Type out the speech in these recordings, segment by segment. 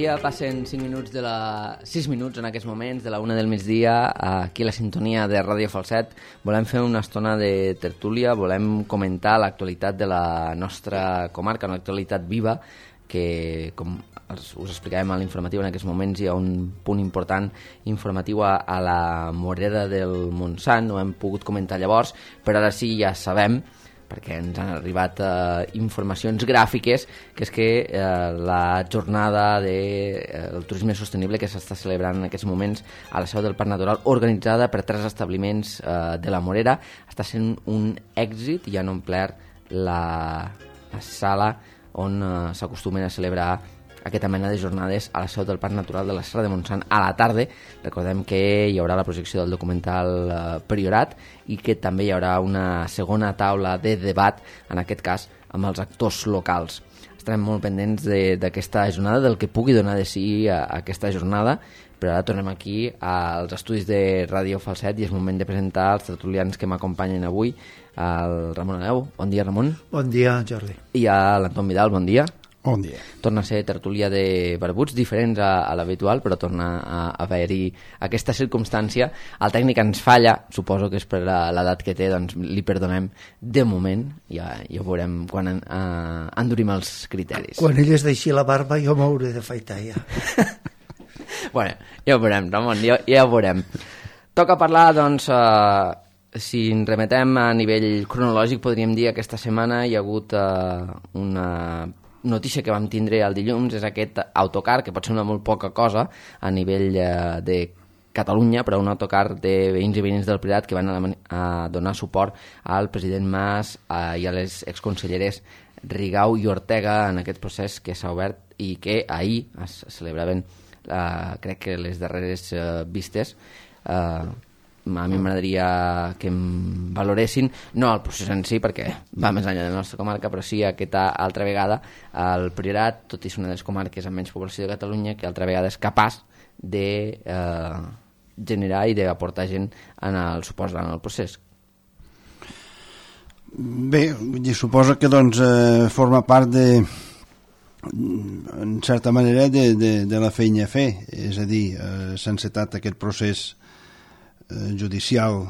migdia, passen 6 minuts en aquests moments, de la 1 del migdia, aquí a la sintonia de Ràdio Falset. Volem fer una estona de tertúlia, volem comentar l'actualitat de la nostra comarca, una actualitat viva, que, com us explicàvem a l'informatiu, en aquests moments hi ha un punt important informatiu a la Morera del Montsant. No hem pogut comentar llavors, però ara sí ja sabem, perquè ens han arribat informacions gràfiques, que és que la jornada del turisme sostenible que s'està celebrant en aquests moments a la seu del Parc Natural, organitzada per 3 establiments de la Morera, està sent un èxit i han omplert la sala on s'acostumen a celebrar aquesta mena de jornades a la seu del Parc Natural de la Serra de Montsant a la tarda. Recordem que hi haurà la projecció del documental Priorat i que també hi haurà una segona taula de debat, en aquest cas amb els actors locals. Estarem molt pendents d'aquesta jornada, del que pugui donar de si aquesta jornada, però ara tornem aquí als estudis de Ràdio Falset i és moment de presentar els tertulians que m'acompanyen avui. El Ramon Aleu. Bon dia, Ramon. Bon dia, Jordi. I a l'Anton Vidal. Bon dia. Bon dia. Torna a ser tertúlia de barbuts, diferents a l'habitual, però torna a haver-hi aquesta circumstància. El tècnic ens falla, suposo que és per l'edat que té, doncs li perdonem de moment, ja ho veurem quan endurim els criteris. Quan ell es deixi la barba jo m'hauré de faitar ja. Bueno, ja ho veurem, Ramon, ja ho veurem. Toca parlar, doncs, si ens remetem a nivell cronològic, podríem dir que aquesta setmana hi ha hagut una notícia que vam tindre el dilluns, és aquest autocar, que pot semblar molt poca cosa a nivell de Catalunya, però un autocar de veïns i veïnes del Priorat que van a donar suport al president Mas i a les exconselleres Rigau i Ortega en aquest procés que s'ha obert i que ahir es celebraven, crec que les darreres vistes. A mi m'agradaria que em valoressin, no el procés en si, perquè va més enllà de la nostra comarca, però sí aquesta altra vegada el Priorat, tot i ser una de les comarques amb menys població de Catalunya, que altra vegada és capaç de generar i d'aportar gent en el suport en el procés. Bé, suposo que doncs forma part de, en certa manera, de la feina a fer, és a dir, s'ha encetat aquest procés judicial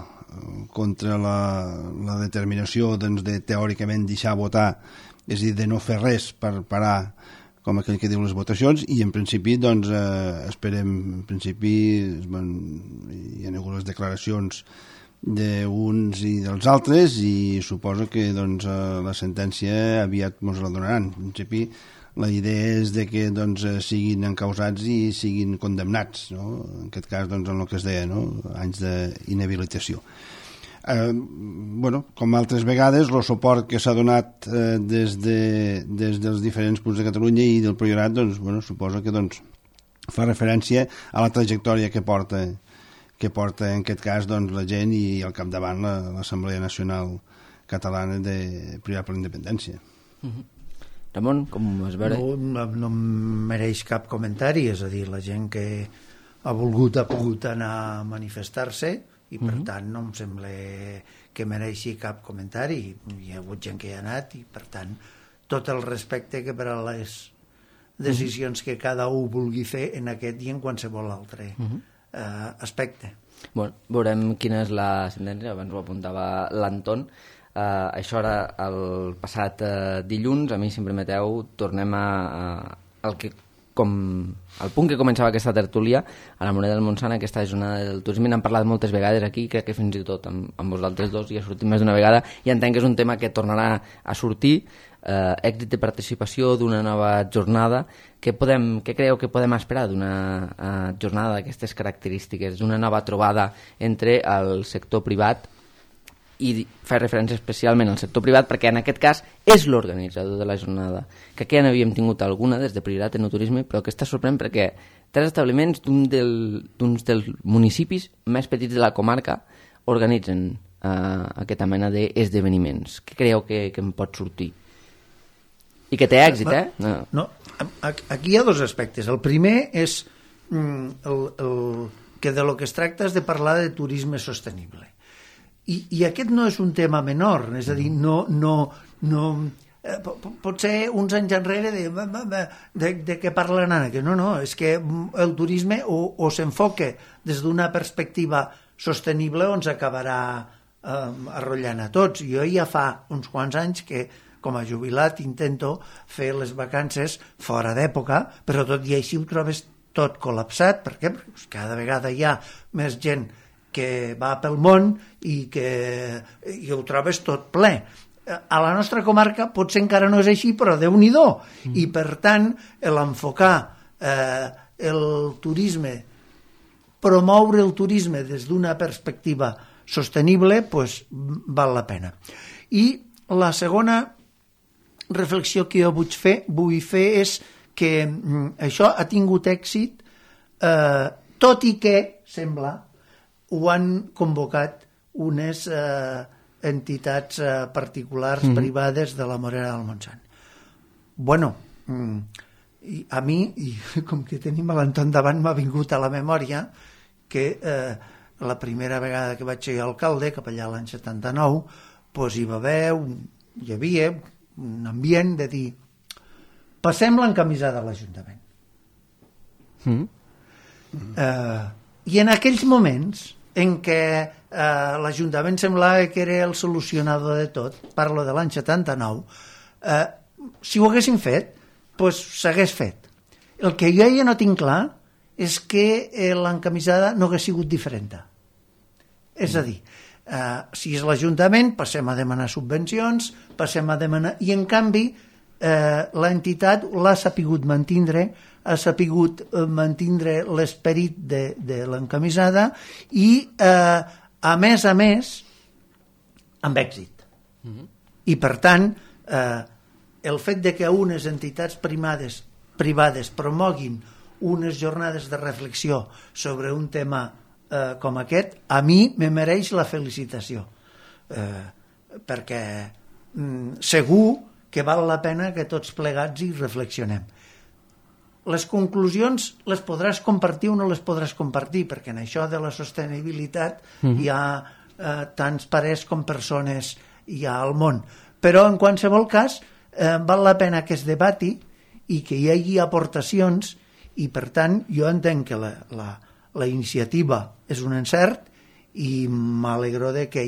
contra la determinació doncs, de teòricament deixar votar, és a dir, de no fer res per parar, com aquell que diu, les votacions, i en principi doncs, esperem, en principi hi ha hagut les declaracions d'uns i dels altres i suposo que doncs, la sentència aviat ens la donaran. En principi la idea és de que doncs, siguin encausats i siguin condemnats, no? En aquest cas doncs, en el que es deia, no? Anys d'inhabilitació. Bueno, com altres vegades, el suport que s'ha donat des dels diferents punts de Catalunya i del Priorat, doncs, bueno, suposo que doncs, fa referència a la trajectòria que porta en aquest cas doncs, la gent i al capdavant l'Assemblea Nacional Catalana de Priorat per la Independència. Ramon, com ho vas veure? No mereix cap comentari, és a dir, la gent que ha pogut anar a manifestar-se i per tant no em sembla que mereixi cap comentari. Hi ha hagut gent que hi ha anat i per tant tot el respecte que per a les decisions que cada un vulgui fer en aquest i en qualsevol altre aspecte. Bueno, veurem quina és la sentència, abans ho apuntava l'Anton. Això era el passat dilluns. A mi, si em permeteu, tornem al punt que començava aquesta tertúlia a la Morera del Montsant, aquesta jornada del turisme. N'hem parlat moltes vegades aquí, crec que fins i tot amb vosaltres dos ja ha sortit més d'una vegada i entenc que és un tema que tornarà a sortir. Èxit de participació d'una nova jornada. Què creieu que podem esperar d'una jornada d'aquestes característiques, d'una nova trobada entre el sector privat i fer referència especialment al sector privat perquè en aquest cas és l'organitzador de la jornada, que aquí ja n'havíem tingut alguna des de Priorat en el turisme, però que està sorprenent perquè 3 establiments d'uns dels municipis més petits de la comarca organitzen aquesta mena d'esdeveniments. Què creieu que en pot sortir? I que té èxit, No, aquí hi ha 2 aspectes. El primer és que de lo que es tracta és de parlar de turisme sostenible. I aquest no és un tema menor, és a dir, no potser uns anys enrere de què parlen ara, que no, és que el turisme o s'enfoca des d'una perspectiva sostenible o ens acabarà arrotllant a tots. Jo ja fa uns quants anys que com a jubilat intento fer les vacances fora d'època, però tot i així ho trobes tot col·lapsat. Per què? Perquè cada vegada hi ha més gent que va pel món i ho trobes tot ple. A la nostra comarca potser encara no és així, però Déu-n'hi-do. I per tant, l'enfocar el turisme, promoure el turisme des d'una perspectiva sostenible, doncs val la pena. I la segona reflexió que jo vull fer és que això ha tingut èxit, tot i que, sembla, ho han convocat unes entitats particulars, privades de la Morera del Montsant. Bueno, a mi, com que tenim l'Anton davant, m'ha vingut a la memòria que la primera vegada que vaig ser alcalde, cap allà l'any 79, doncs hi havia un ambient de dir passem l'encamisada a l'Ajuntament. I en aquells moments en què l'Ajuntament semblava que era el solucionador de tot, parlo de l'any 79, si ho haguessin fet, doncs s'hagués fet. El que jo ja no tinc clar és que l'encamisada no hagués sigut diferent. És a dir, si és l'Ajuntament, passem a demanar subvencions, passem a demanar... I, en canvi, l'entitat l'ha sapigut mantindre, ha sapigut mantindre l'esperit de l'encamisada i, a més, amb èxit. I, per tant, el fet de que unes entitats privades promoguin unes jornades de reflexió sobre un tema com aquest, a mi me mereix la felicitació, perquè segur que val la pena que tots plegats hi reflexionem. Les conclusions les podràs compartir o no les podràs compartir, perquè en això de la sostenibilitat hi ha tants parers com persones hi ha al món, però en qualsevol cas val la pena que es debati i que hi hagi aportacions, i per tant jo entenc que la iniciativa és un encert i m'alegro de que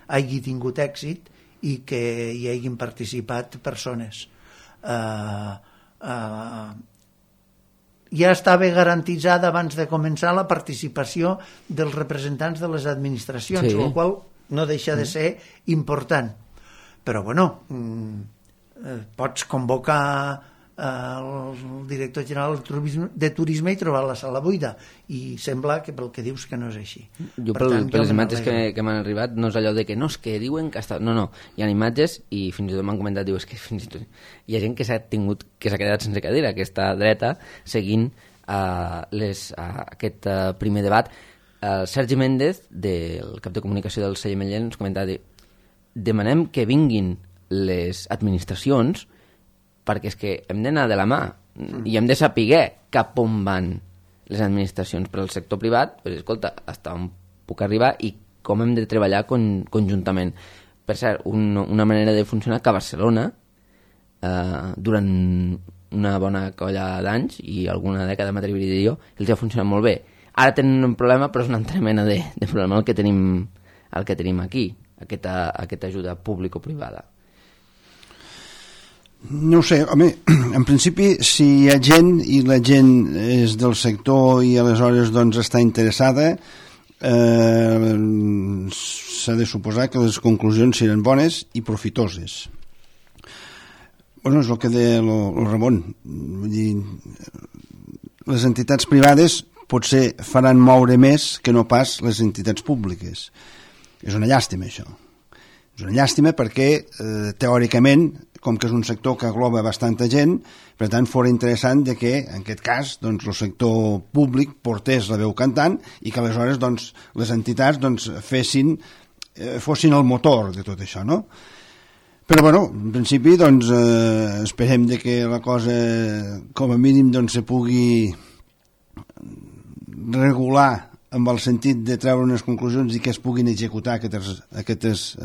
hagi tingut èxit i que hi hagin participat persones. Ja estava garantitzada abans de començar la participació dels representants de les administracions, el qual no deixa de ser important. Però, bueno, pots convocar el director general de turisme i trobar la sala buida, i sembla que pel que dius que no és així. Jo per les imatges que m'han arribat no és allò de que no, és que diuen que està... No, hi ha imatges i fins i tot m'han comentat, diu, és que fins i tot hi ha gent que s'ha quedat sense cadira, que està dreta seguint aquest primer debat. El Sergi Méndez, del cap de comunicació del Celler Mellent, ens comentava, demanem que vinguin les administracions perquè és que hem d'anar de la mà i hem de saber cap on van les administracions. Per al sector privat, pues, escolta, hasta on puc arribar i com hem de treballar conjuntament. Per cert, una manera de funcionar que a Barcelona, durant una bona colla d'anys i alguna dècada, m'atreviria a dir jo, els ha funcionat molt bé. Ara tenen un problema, però és una altra mena de problema el que tenim aquí, aquesta ajuda público-privada. No ho sé, home, en principi si hi ha gent i la gent és del sector i aleshores doncs està interessada, s'ha de suposar que les conclusions seran bones i profitoses. Bueno, és el que deia el Ramon, vull dir, les entitats privades potser faran moure més que no pas les entitats públiques. És una llàstima això. És una llàstima perquè teòricament, com que és un sector que agloba bastanta gent, per tant fora interessant de que en aquest cas doncs, el sector públic portés la veu cantant i que aleshores doncs, les entitats doncs, fossin el motor de tot això, no? Però bueno, en principi doncs, esperem de que la cosa com a mínim doncs, se pugui regular amb el sentit de treure unes conclusions i que es puguin executar aquestes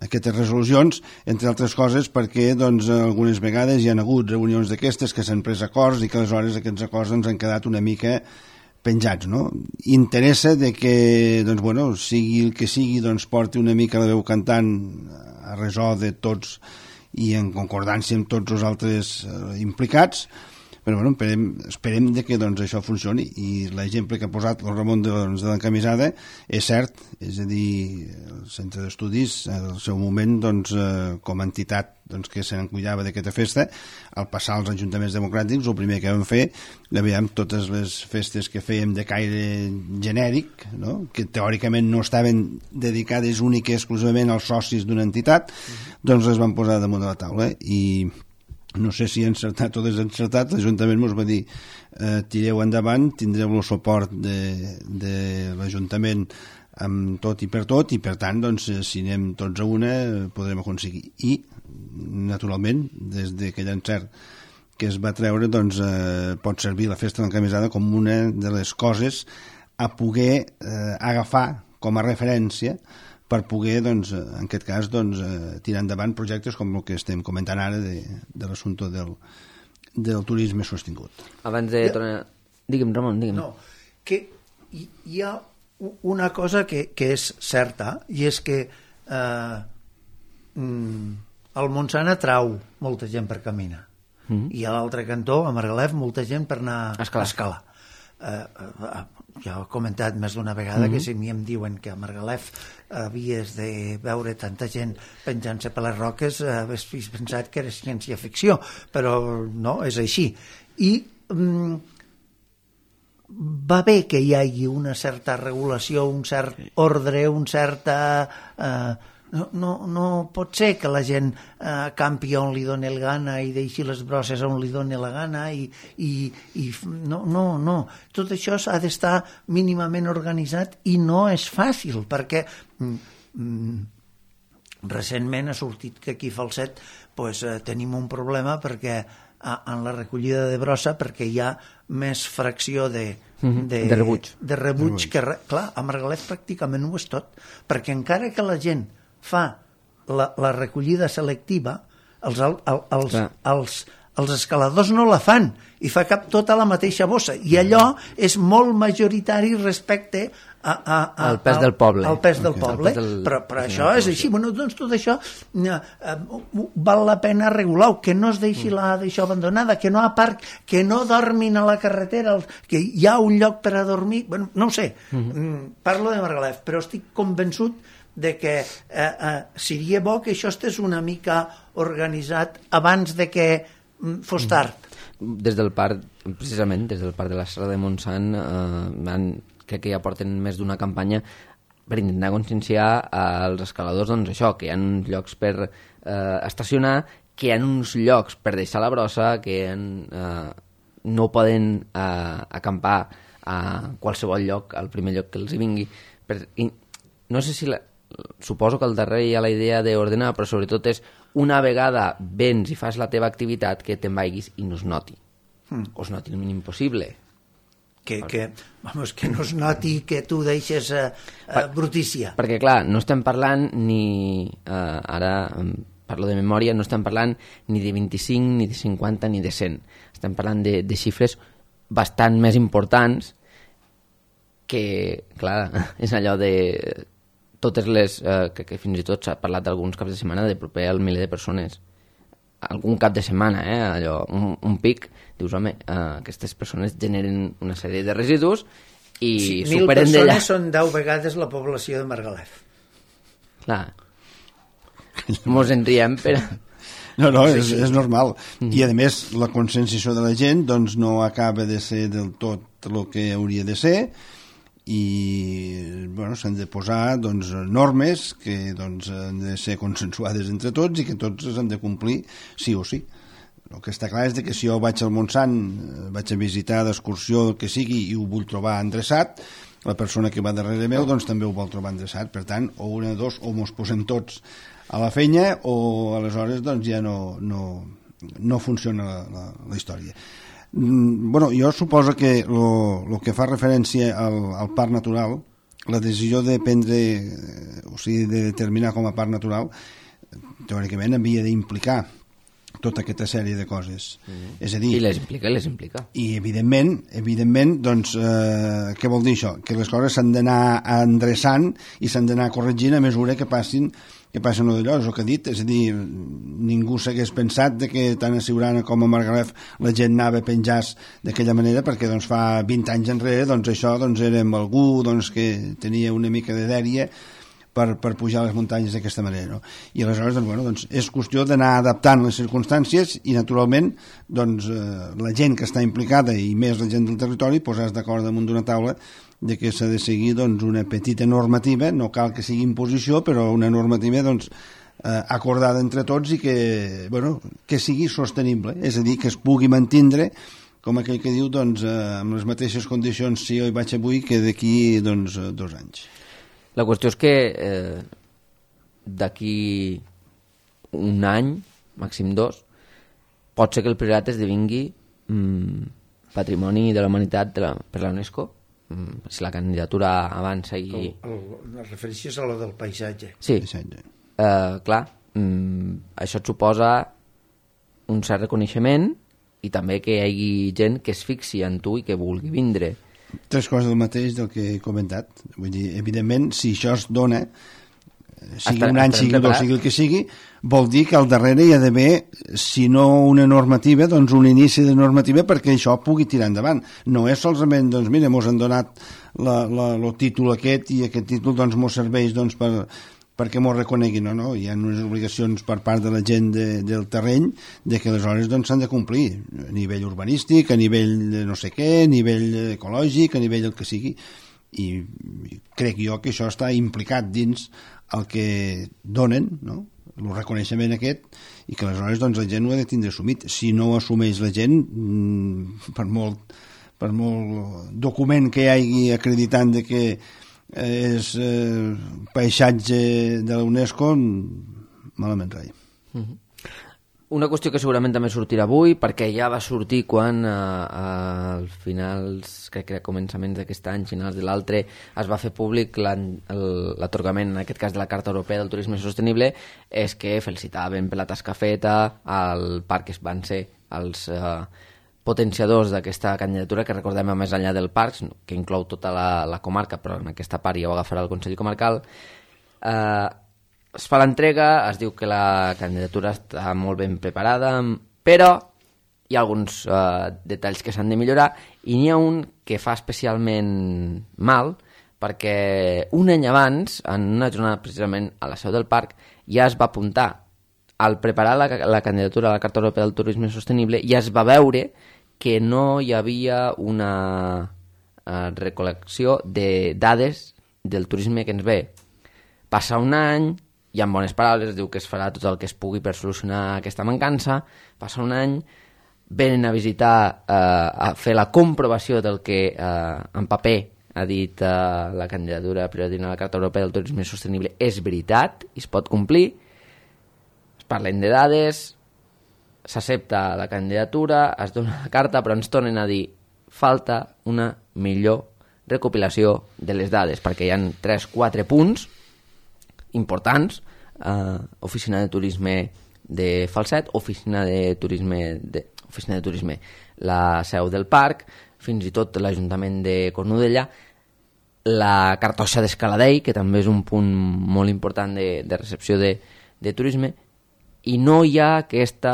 aquestes resolucions, entre altres coses perquè doncs, algunes vegades hi ha hagut reunions d'aquestes que s'han pres acords i que aleshores aquests acords ens han quedat una mica penjats, no? Interessa de que, doncs, bueno, sigui el que sigui, doncs, porti una mica la veu cantant a resó de tots i en concordància amb tots els altres implicats, però bueno, esperem de que doncs, això funcioni, i l'exemple que ha posat el Ramon de l'encamisada és cert, és a dir, el centre d'estudis al seu moment doncs, com a entitat doncs, que se n'encuidava d'aquesta festa, al passar als ajuntaments democràtics el primer que vam fer, veiem totes les festes que fèiem de caire genèric, no? Que teòricament no estaven dedicades únic i exclusivament als socis d'una entitat, doncs les van posar damunt de la taula, i no sé si encertat o desencertat, l'Ajuntament ens va dir tireu endavant, tindreu el suport de l'Ajuntament amb tot i per tot, i per tant doncs, si anem tots a una podrem aconseguir, i naturalment des d'aquell encert que es va treure doncs, pot servir la festa de l'encamisada com una de les coses a poder agafar com a referència per poder, doncs, en aquest cas, doncs, tirar endavant projectes com el que estem comentant ara de l'assumpte del turisme sostingut. Abans de tornar... Digue'm, Ramon, digue'm. No, que hi ha una cosa que és certa, i és que el Montsant atrau molta gent per caminar, i a l'altre cantó, a Margalef, molta gent per anar a escalar. Ja he comentat més d'una vegada que si a mi em diuen que a Margalef havies de veure tanta gent penjant-se per les roques, havies pensat que era ciència-ficció, però no, és així. I va bé que hi hagi una certa regulació, un cert ordre, un certa... No pot ser que la gent campi on li doni el gana i deixi les brosses on li doni la gana, i no. Tot això ha d'estar mínimament organitzat, i no és fàcil, perquè recentment ha sortit que aquí a Falset tenim un problema perquè en la recollida de brossa, perquè hi ha més fracció de rebuig que... Clar, a Margalef pràcticament ho és tot, perquè encara que la gent fa la recollida selectiva, els escaladors no la fan i fa cap tota la mateixa bossa, i allò és molt majoritari respecte al pes del poble. Al pes del poble, però això és així. Bueno, doncs tot això val la pena regular-ho, que no es deixi d'això abandonada, que no a parc, que no dormin a la carretera, que hi ha un lloc per a dormir, bueno, no ho sé, parlo de Margalef, però estic convençut de que seria bo que això estés una mica organitzat abans de que fos tard. Des del parc, precisament, des del parc de la Serra de Montsant, crec que ja porten més d'una campanya per intentar conscienciar als escaladors, doncs això, que hi ha uns llocs per estacionar, que hi ha uns llocs per deixar la brossa, que no poden acampar a qualsevol lloc, al primer lloc que els hi vingui. No sé si... Suposo que al darrere hi ha la idea d'ordenar, però sobretot és una vegada vens i fas la teva activitat que te'n vagis i no es noti. O es noti el mínim possible. Que no es noti que tu deixes brutícia. Perquè, clar, no estem parlant ni... Ara parlo de memòria, no estem parlant ni de 25, ni de 50, ni de 100. Estem parlant de xifres bastant més importants que, clar, és allò de... totes les, que fins i tot s'ha parlat d'alguns caps de setmana de proper al miler de persones. Algun cap de setmana, allò, un pic, dius, home, aquestes persones generen una sèrie de residus i superen d'allà. 1.000 persones són 10 vegades la població de Margalef. Clar. Mos en riem, però... No, és normal. I, a més, la conscienciació de la gent doncs, no acaba de ser del tot el que hauria de ser, i bueno, s'han de posar doncs, normes que doncs, han de ser consensuades entre tots i que tots han de complir sí o sí. El que està clar és que si jo vaig al Montsant, vaig a visitar d'excursió, el que sigui, i ho vull trobar endreçat, la persona que va darrere meu doncs, també ho vol trobar endreçat. Per tant, o una de dos, o mos posem tots a la feina, o aleshores doncs, ja no funciona la història. Bueno, jo suposo que el que fa referència al parc natural, la decisió de prendre, o sigui, de determinar com a parc natural, teòricament havia d'implicar tota aquesta sèrie de coses. És a dir, I les implica. I evidentment, doncs, què vol dir això? Que les coses s'han d'anar endreçant i s'han d'anar corregint a mesura que passin d'allò, és el que he dit. És a dir, ningú s'hagués pensat de que tant a Siurana com a Margalef la gent anava a penjar d'aquella manera, perquè doncs, fa 20 anys enrere doncs, això doncs, era amb algú doncs, que tenia una mica de dèria per pujar a les muntanyes d'aquesta manera, no? I aleshores doncs, bueno, doncs, és qüestió d'anar adaptant les circumstàncies i naturalment doncs, la gent que està implicada i més la gent del territori posar-se d'acord damunt d'una taula de que s'ha de seguir doncs, una petita normativa, no cal que sigui imposició, però una normativa doncs, acordada entre tots i que, bueno, que sigui sostenible, és a dir, que es pugui mantindre com aquell que diu doncs, amb les mateixes condicions si jo hi vaig avui que d'aquí doncs, 2 anys. La qüestió és que d'aquí un any, màxim 2, pot ser que el Priorat esdevingui patrimoni de la humanitat per la UNESCO, si la candidatura avança i... La referència és a la del paisatge. Sí, clar, això et suposa un cert reconeixement i també que hi hagi gent que es fixi en tu i que vulgui vindre. 3 coses del mateix del que he comentat. Vull dir, evidentment, si això es dona, sigui un any, sigui 2, sigui el que sigui, vol dir que al darrere hi ha d'haver, si no una normativa, doncs un inici de normativa perquè això pugui tirar endavant. No és solament, doncs mira, mos han donat el títol aquest i aquest títol doncs mos serveix doncs perquè m'ho reconeguin, no? Hi ha unes obligacions per part de la gent del terreny de que aleshores doncs s'han de complir a nivell urbanístic, a nivell de no sé què, a nivell ecològic, a nivell el que sigui, i crec jo que això està implicat dins el que donen, no? El reconeixement aquest, i que aleshores doncs, la gent ho ha de tindre assumit. Si no ho assumeix la gent, per molt document que hi hagi acreditant de que és paisatge de la UNESCO, malament rai. Una qüestió que segurament també sortirà avui, perquè ja va sortir quan als finals, crec que a començaments d'aquest any, finals de l'altre, es va fer públic l'atorgament, en aquest cas de la Carta Europea del Turisme Sostenible, és que felicitaven per la tasca feta al parc, que van ser els potenciadors d'aquesta candidatura, que recordem a més enllà del parc, que inclou tota la comarca, però en aquesta part ja ho agafarà el Consell Comarcal. Es fa l'entrega, es diu que la candidatura està molt ben preparada, però hi ha alguns detalls que s'han de millorar, i n'hi ha un que fa especialment mal, perquè un any abans, en una jornada precisament a la seu del parc, ja es va apuntar al preparar la candidatura a la Carta Europea del Turisme Sostenible, ja es va veure que no hi havia una recol·lecció de dades del turisme que ens ve. Passa un any, hi ha bones paraules, es diu que es farà tot el que es pugui per solucionar aquesta mancança, passa un any, venen a visitar, a fer la comprovació del que en paper ha dit la candidatura prioritària a la Carta Europea del Turisme Sostenible és veritat i es pot complir, es parlen de dades, s'accepta la candidatura, es dona la carta, però ens tornen a dir falta una millor recopilació de les dades, perquè hi ha 3-4 punts importants, oficina de turisme de Falset, oficina de turisme la seu del parc, fins i tot l'Ajuntament de Cornudella, la cartoixa d'Escaladei, que també és un punt molt important de recepció de turisme, i no hi ha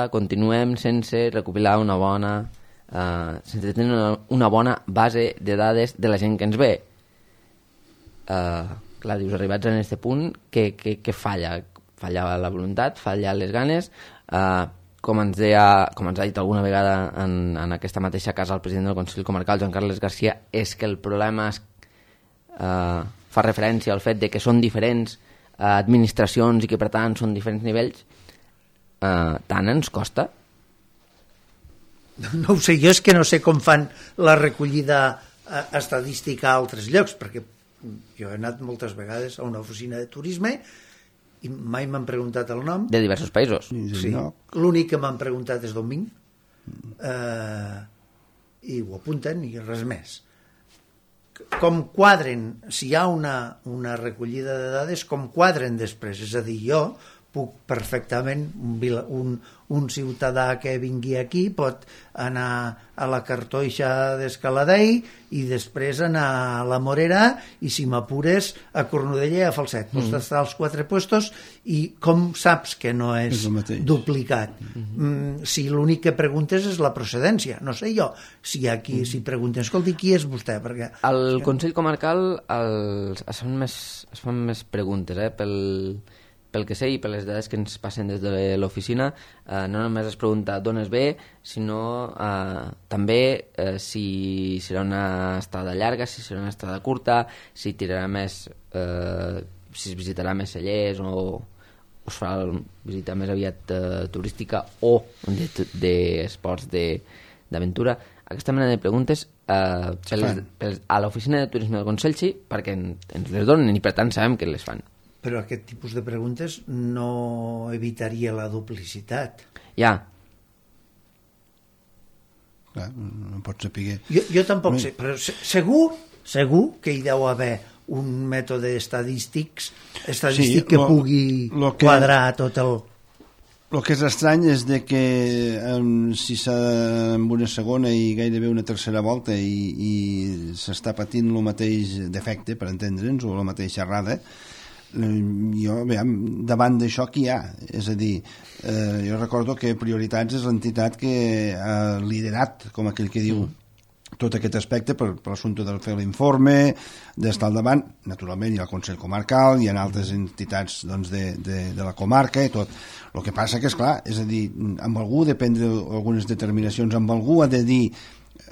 continuem sense recopilar sense tenir una bona base de dades de la gent que ens ve. Clar, dius, arribats en aquest punt, què falla? Falla la voluntat, falla les ganes, com ens ha dit alguna vegada en aquesta mateixa casa el president del Consell Comarcal, Joan Carles Garcia, és que el problema fa referència al fet de que són diferents administracions i que per tant són diferents nivells. Tant ens costa? No ho sé, jo és que no sé com fan la recollida estadística a altres llocs, perquè jo he anat moltes vegades a una oficina de turisme i mai m'han preguntat el nom. De diversos països. Sí. L'únic que m'han preguntat és d'on vinc, i ho apunten i res més. com quadren, si hi ha una recollida de dades, com quadren després. És a dir, jo puc perfectament, un ciutadà que vingui aquí pot anar a la Cartoixa d'Escaladei i després anar a la Morera i, si m'apures, a Cornudella i a Falset. Pots estar als 4 puestos i com saps que no és duplicat? Si l'únic que preguntes és la procedència. No sé jo si aquí si pregunten, escolti, qui és vostè? Perquè al Consell Comarcal es fan més preguntes, pel que sé i per les dades que ens passen des de l'oficina, no només es pregunta d'on es ve, sinó també si serà una estada llarga, si serà una estada curta, si tirarà més, si es visitarà més cellers o es farà visita més aviat turística o d'esports d'aventura. Aquesta mena de preguntes a l'oficina de turisme del Consell sí, perquè ens les donen i per tant sabem que les fan. Però aquest tipus de preguntes no evitaria la duplicitat. Ja. Clar, no pot saber... Jo tampoc sé, però segur que hi deu haver un mètode estadístic que pugui quadrar tot el... El que és estrany és de que si s'ha amb una segona i gairebé una tercera volta i s'està patint el mateix defecte, per entendre'ns, o la mateixa errada, jo, davant d'això què hi ha? És a dir, jo recordo que Prioritats és l'entitat que ha liderat, com aquell que diu, tot aquest aspecte per l'assumpte de fer l'informe, d'estar al davant. Naturalment hi ha el Consell Comarcal, hi ha altres entitats de la comarca i tot. El que passa que, esclar, és a dir, amb algú de prendre algunes determinacions, amb algú ha de dir,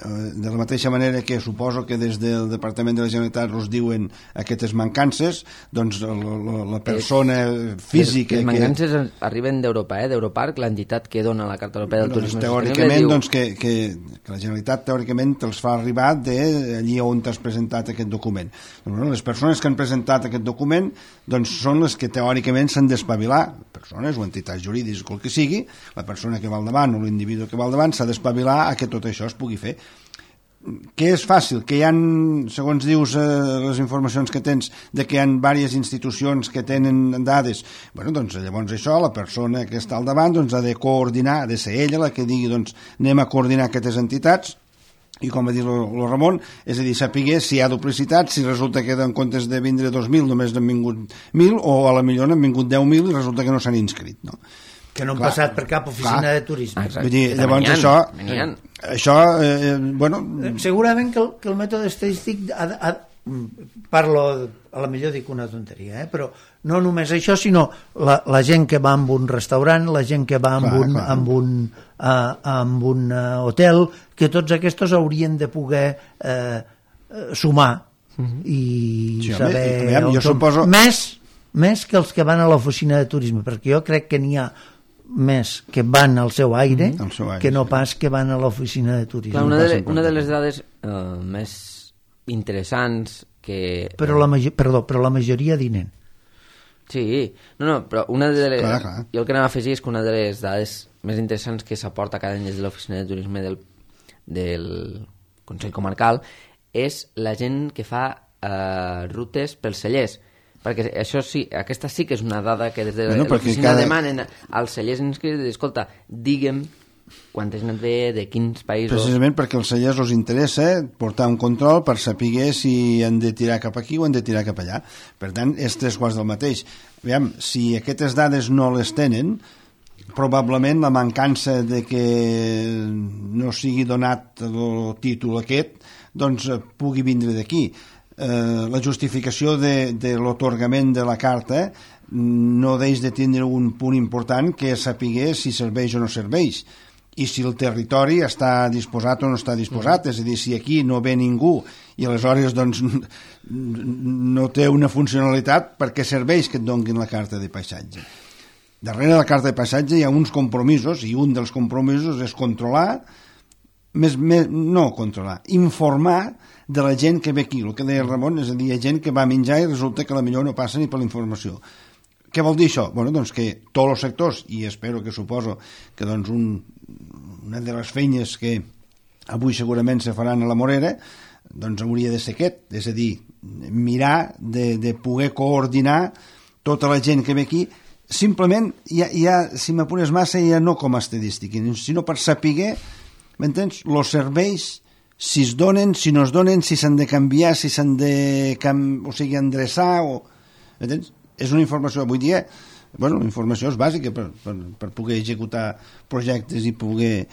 de la mateixa manera que suposo que des del Departament de la Generalitat us diuen aquestes mancances, doncs la persona física... Les mancances arriben d'Europa, d'Europarc, l'entitat que dona la Carta Europea del Turisme teòricament, doncs, que la Generalitat teòricament te'ls fa arribar d'allí on t'has presentat aquest document. Les persones que han presentat aquest document doncs són les que teòricament s'han d'espavilar, persones o entitats jurídiques o el que sigui, la persona que va al davant o l'individu que va al davant s'ha d'espavilar a que tot això es pugui fer. Que és fàcil, que hi ha, segons dius les informacions que tens, de que hi ha diverses institucions que tenen dades, bueno, doncs llavors això, la persona que està al davant doncs ha de coordinar, ha de ser ella la que digui, doncs anem a coordinar aquestes entitats, i com va dir el Ramon, és a dir, sapiguer si hi ha duplicitat, si resulta que en comptes de vindre 2.000 només n'han vingut 1.000, o a la millor n'han vingut 10.000 i resulta que no s'han inscrit, no? Que no han passat per cap oficina de turisme. Vull dir, llavors això bueno... Segurament que el mètode estadístic parlo, a la millor dic una tonteria, però no només això, sinó la gent que va amb un restaurant, la gent que va amb un hotel, que tots aquests haurien de poder sumar i saber jo suposo... més que els que van a l'oficina de turisme, perquè jo crec que n'hi ha més que van al seu aire que no pas que van a l'oficina de turisme. Clar, una de les dades més interessants que... Però la majoria dinen. Sí, però una de les... Jo el que anava a afegir és que una de les dades més interessants que s'aporta cada any des de l'oficina de turisme del Consell Comarcal és la gent que fa rutes pels cellers, perquè això sí, aquesta sí que és una dada que des de l'oficina demanen als cellers inscrits, escolta, digue'm quanta gent et ve, de quins països... Precisament perquè als cellers els interessa portar un control per saber si han de tirar cap aquí o han de tirar cap allà. Per tant, és 3 quarts del mateix. Aviam, si aquestes dades no les tenen, probablement la mancança de que no sigui donat el títol aquest, doncs pugui vindre d'aquí. La justificació de l'atorgament de la carta no deix de tindre un punt important que és saber si serveix o no serveix i si el territori està disposat o no està disposat, és a dir, si aquí no ve ningú i aleshores doncs no té una funcionalitat, per què serveix que et donguin la carta de paisatge? Darrere la carta de paisatge hi ha uns compromisos i un dels compromisos és controlar, informar de la gent que ve aquí, el que deia el Ramon, és a dir, hi ha gent que va menjar i resulta que potser no passa ni per la informació. Què vol dir això? Bueno, doncs que tots els sectors, i espero que suposo que doncs una de les feines que avui segurament se faran a la Morera, doncs hauria de ser aquest, és a dir, mirar de poder coordinar tota la gent que ve aquí, simplement, si m'apures massa, ja no com a estadística, sinó per saber, m'entens, els serveis, si es donen, si no es donen, si s'han de canviar, si s'han de endreçar, m'entens? És una informació, avui dia, la informació és bàsica per poder executar projectes i poder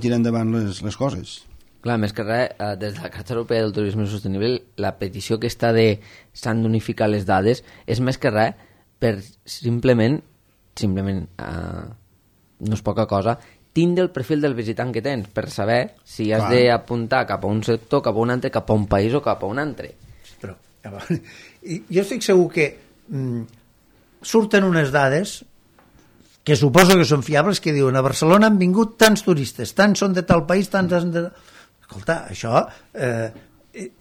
tirar endavant les coses. Clar, més que res, des de la Carta Europea del Turisme Sostenible, la petició aquesta de s'han d'unificar les dades és més que res per simplement no és poca cosa, tindre el perfil del visitant que tens per saber si has d'apuntar cap a un sector, cap a un altre, cap a un país o cap a un altre. Però, jo estic segur que surten unes dades que suposo que són fiables, que diuen a Barcelona han vingut tants turistes, tants són de tal país, tants han de... Escolta, això,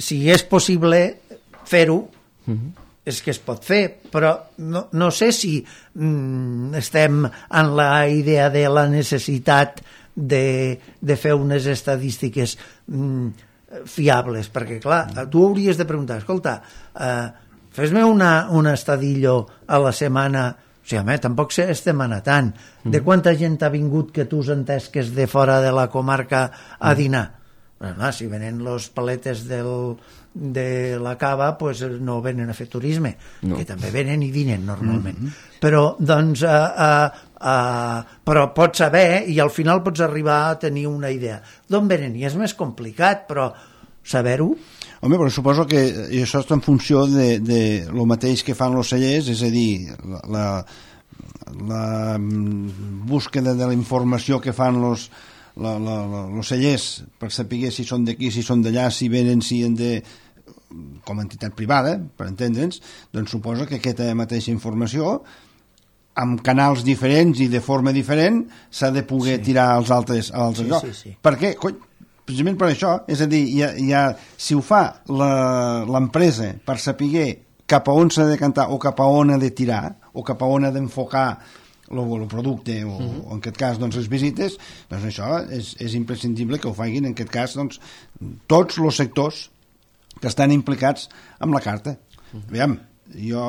si és possible fer-ho, és que es pot fer, però no sé si estem en la idea de la necessitat de fer unes estadístiques fiables, perquè clar, tu hauries de preguntar, escolta, fes-me un estadillo a la setmana, o sigui, home, tampoc estem anant tant, de quanta gent ha vingut que tu has entès que és de fora de la comarca a dinar? Bueno, si venen los paletes de la cava, pues no venen a fer turisme, que també venen i dinen normalment. Però, doncs, però pots saber i al final pots arribar a tenir una idea. D'on venen? I és més complicat, però saber-ho... Home, però suposo que això està en funció de lo mateix que fan els cellers, és a dir, la búsqueda de la informació que fan els cellers per saber si són d'aquí, si són d'allà, si venen, si han de, com a entitat privada, per entendre'ns, doncs suposa que aquesta mateixa informació amb canals diferents i de forma diferent s'ha de poder tirar als altres llocs. Per què? Precisament per això, és a dir, si ho fa l'empresa per saber cap a on s'ha de cantar o cap a on ha de tirar o cap a on ha d'enfocar el producte o en aquest cas doncs, les visites, doncs això és imprescindible que ho facin en aquest cas doncs, tots els sectors que estan implicats amb la carta. Aviam, jo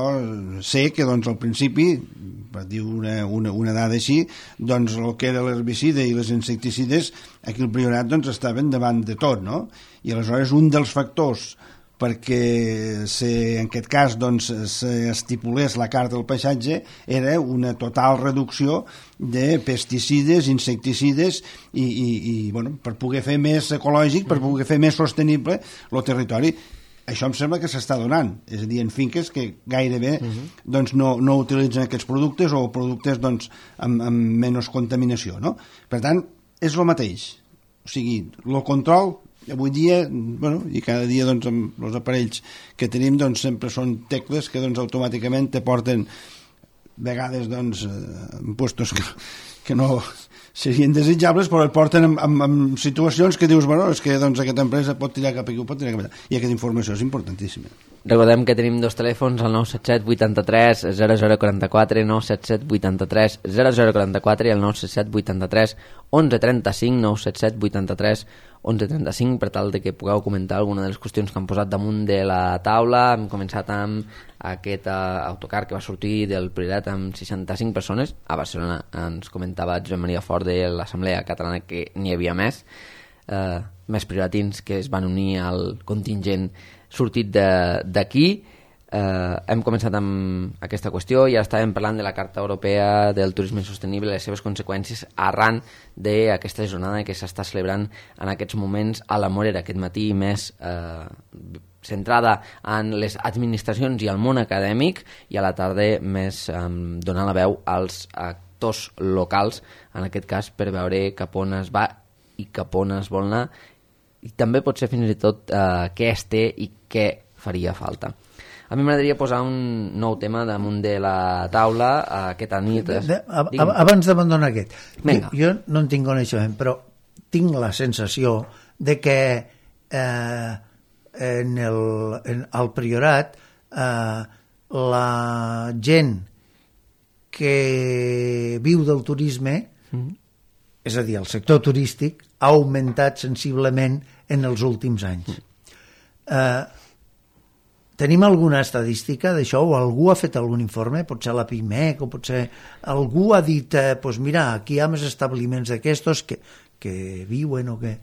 sé que doncs, al principi, per dir una dada així, doncs el que era l'herbicida i les insecticides aquí al Priorat doncs, estaven davant de tot, no? I aleshores un dels factors perquè en aquest cas doncs, s'estipulés la carta del paisatge era una total reducció de pesticides, insecticides i bueno, per poder fer més ecològic, per poder fer més sostenible el territori. Això em sembla que s'està donant, és a dir, en finques que gairebé doncs, no utilitzen aquests productes o productes doncs, amb menys contaminació, no? Per tant, és el mateix, o sigui, el control avui dia, bueno, i cada dia doncs, amb els aparells que tenim doncs, sempre són tecles que doncs, automàticament te porten vegades doncs, en puestos que no serien desitjables, però et porten en situacions que dius, bueno, és que doncs, aquesta empresa pot tirar cap aquí, pot tirar cap allà, i aquesta informació és importantíssima. Recordem que tenim dos telèfons, el 977 83 0044, 977 83 0044 i el 977 83 1135, 977 83 1135, per tal de que pugueu comentar alguna de les qüestions que han posat damunt de la taula. Hem començat amb aquest autocar que va sortir del Priorat amb 65 persones. A Barcelona ens comentava Josep Maria Fort de l'Assemblea Catalana que n'hi havia més prioratins que es van unir al contingent sortit d'aquí. Hem començat amb aquesta qüestió i ara estàvem parlant de la Carta Europea del Turisme Sostenible i les seves conseqüències arran d'aquesta jornada que s'està celebrant en aquests moments a la Morera, aquest matí més centrada en les administracions i el món acadèmic, i a la tarda més donant la veu als actors locals, en aquest cas per veure cap on es va i cap on es vol anar, i també pot ser fins i tot què es té i què faria falta. A mi m'agradaria posar un nou tema damunt de la taula aquesta nit. Abans d'abandonar aquest, jo no en tinc coneixement, però tinc la sensació de que al Priorat la gent que viu del turisme, és a dir, el sector turístic, ha augmentat sensiblement en els últims anys. Tenim alguna estadística d'això o algú ha fet algun informe? Potser la PIMEC o potser algú ha dit pues mira, aquí hi ha més establiments d'aquestos que viuen o que...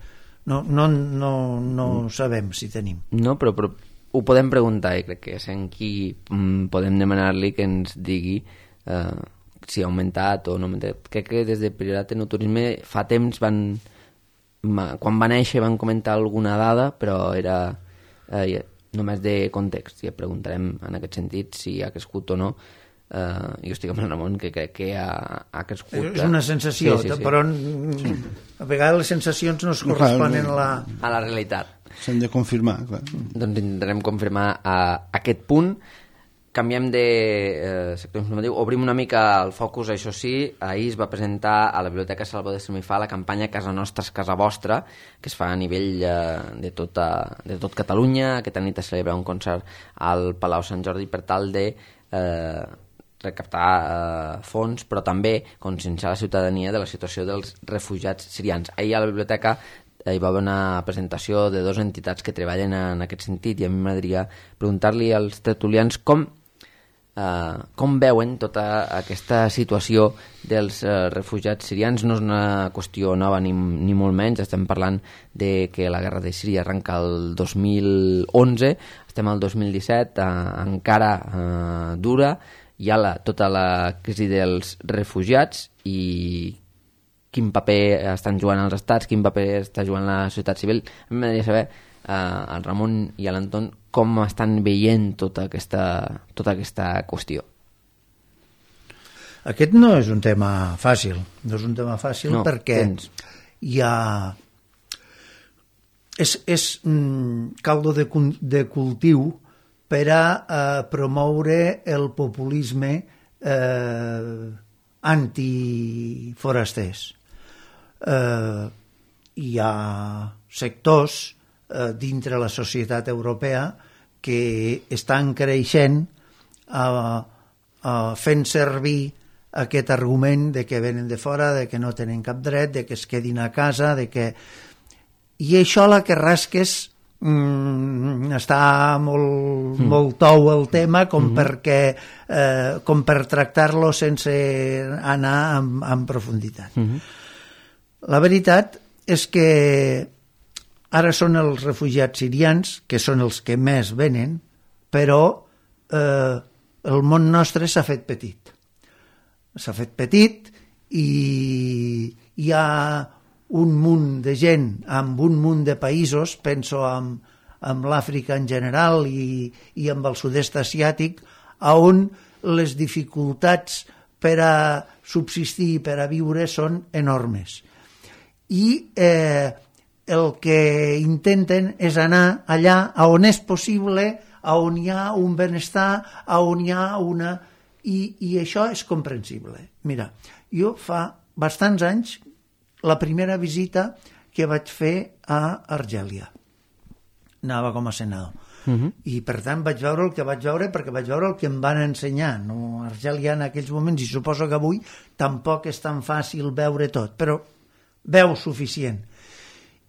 No sabem si tenim. No, però ho podem preguntar i crec que és en qui podem demanar-li que ens digui si ha augmentat o no ha augmentat. Crec que des de Priorat en Turisme fa temps quan va néixer van comentar alguna dada, però era només de context, i et preguntarem en aquest sentit si ha crescut o no. Jo estic amb el Ramon, que crec que ha crescut. És una sensació, sí. Però a vegades les sensacions no es corresponen a la realitat. S'han de confirmar, clar. Doncs intentarem confirmar aquest punt. Canviem de sector informatiu, obrim una mica el focus, això sí. Ahir es va presentar a la Biblioteca Salvador de Semifà la campanya Casa Nostra és Casa Vostra, que es fa a nivell de tot Catalunya. Aquesta nit es celebra un concert al Palau Sant Jordi per tal de recaptar fons, però també conscienciar la ciutadania de la situació dels refugiats sirians. Ahir a la biblioteca hi va haver una presentació de 2 entitats que treballen en aquest sentit, i a mi m'agradaria preguntar-li als tertulians com veuen tota aquesta situació dels refugiats sirians. No és una qüestió nova ni molt menys, estem parlant de que la guerra de Síria arrenca el 2011, estem al 2017, encara dura, hi ha tota la crisi dels refugiats, i quin paper estan jugant els estats, quin paper està jugant la societat civil. A mi m'agradaria saber, el Ramon i l'Anton, com estan veient tota aquesta qüestió. Aquest no és un tema fàcil, perquè hi ha... És caldo de cultiu per a promoure el populisme antiforasters. Hi ha sectors dintre la societat europea que estan creixent fent servir aquest argument de que venen de fora, de que no tenen cap dret, de que es quedin a casa, de que... I això la que rasques està molt tou el tema com per tractar-lo sense anar en profunditat. La veritat és que ara són els refugiats sirians, que són els que més venen, però el món nostre s'ha fet petit. S'ha fet petit i hi ha un munt de gent amb un munt de països, penso amb l'Àfrica en general i amb el sud-est asiàtic, on les dificultats per a subsistir i per a viure són enormes. I el que intenten és anar allà on és possible, on hi ha un benestar, on hi ha una... I això és comprensible. Mira, jo fa bastants anys, la primera visita que vaig fer a Argèlia. Anava com a senador. I per tant vaig veure el que vaig veure, perquè vaig veure el que em van ensenyar. No? Argèlia en aquells moments, i suposo que avui tampoc és tan fàcil veure tot, però veu suficient.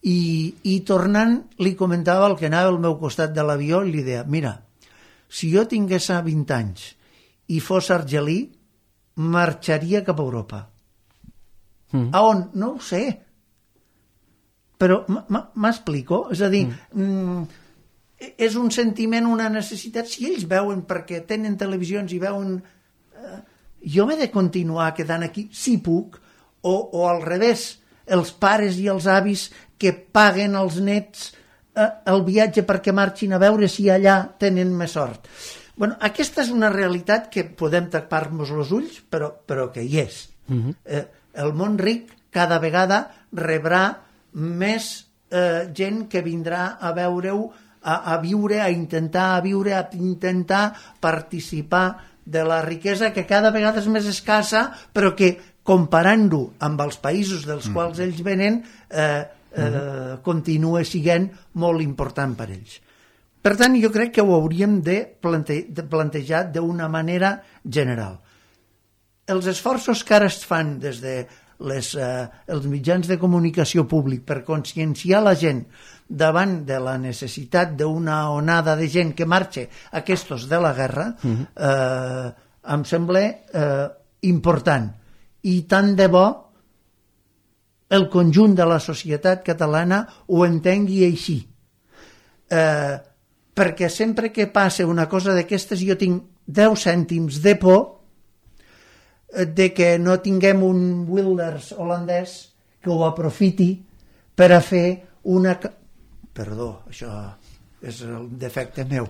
I tornant li comentava el que anava al meu costat de l'avió i li deia, mira, si jo tingués 20 anys i fos argelí, marxaria cap a Europa. A on? No ho sé. Però m'explico? És a dir, és un sentiment, una necessitat. Si ells veuen, perquè tenen televisions i veuen... jo m'he de continuar quedant aquí, si puc, o al revés, els pares i els avis que paguen als nets el viatge perquè marxin a veure si allà tenen més sort. Bueno, aquesta és una realitat que podem tapar-nos els ulls, però que hi és. El món ric cada vegada rebrà més gent que vindrà a veure-ho, a viure, a intentar participar de la riquesa que cada vegada és més escassa, però que comparant-ho amb els països dels quals ells venen continua sent molt important per ells. Per tant, jo crec que ho hauríem de plantejar d'una manera general. Els esforços que ara es fan des de els mitjans de comunicació públic per conscienciar la gent davant de la necessitat d'una onada de gent que marxa aquests de la guerra, em sembla important. I tant de bo el conjunt de la societat catalana ho entengui així. Perquè sempre que passa una cosa d'aquestes jo tinc 10 cèntims de por de que no tinguem un Wilders holandès que ho aprofiti per a fer una... Perdó, això és el defecte meu.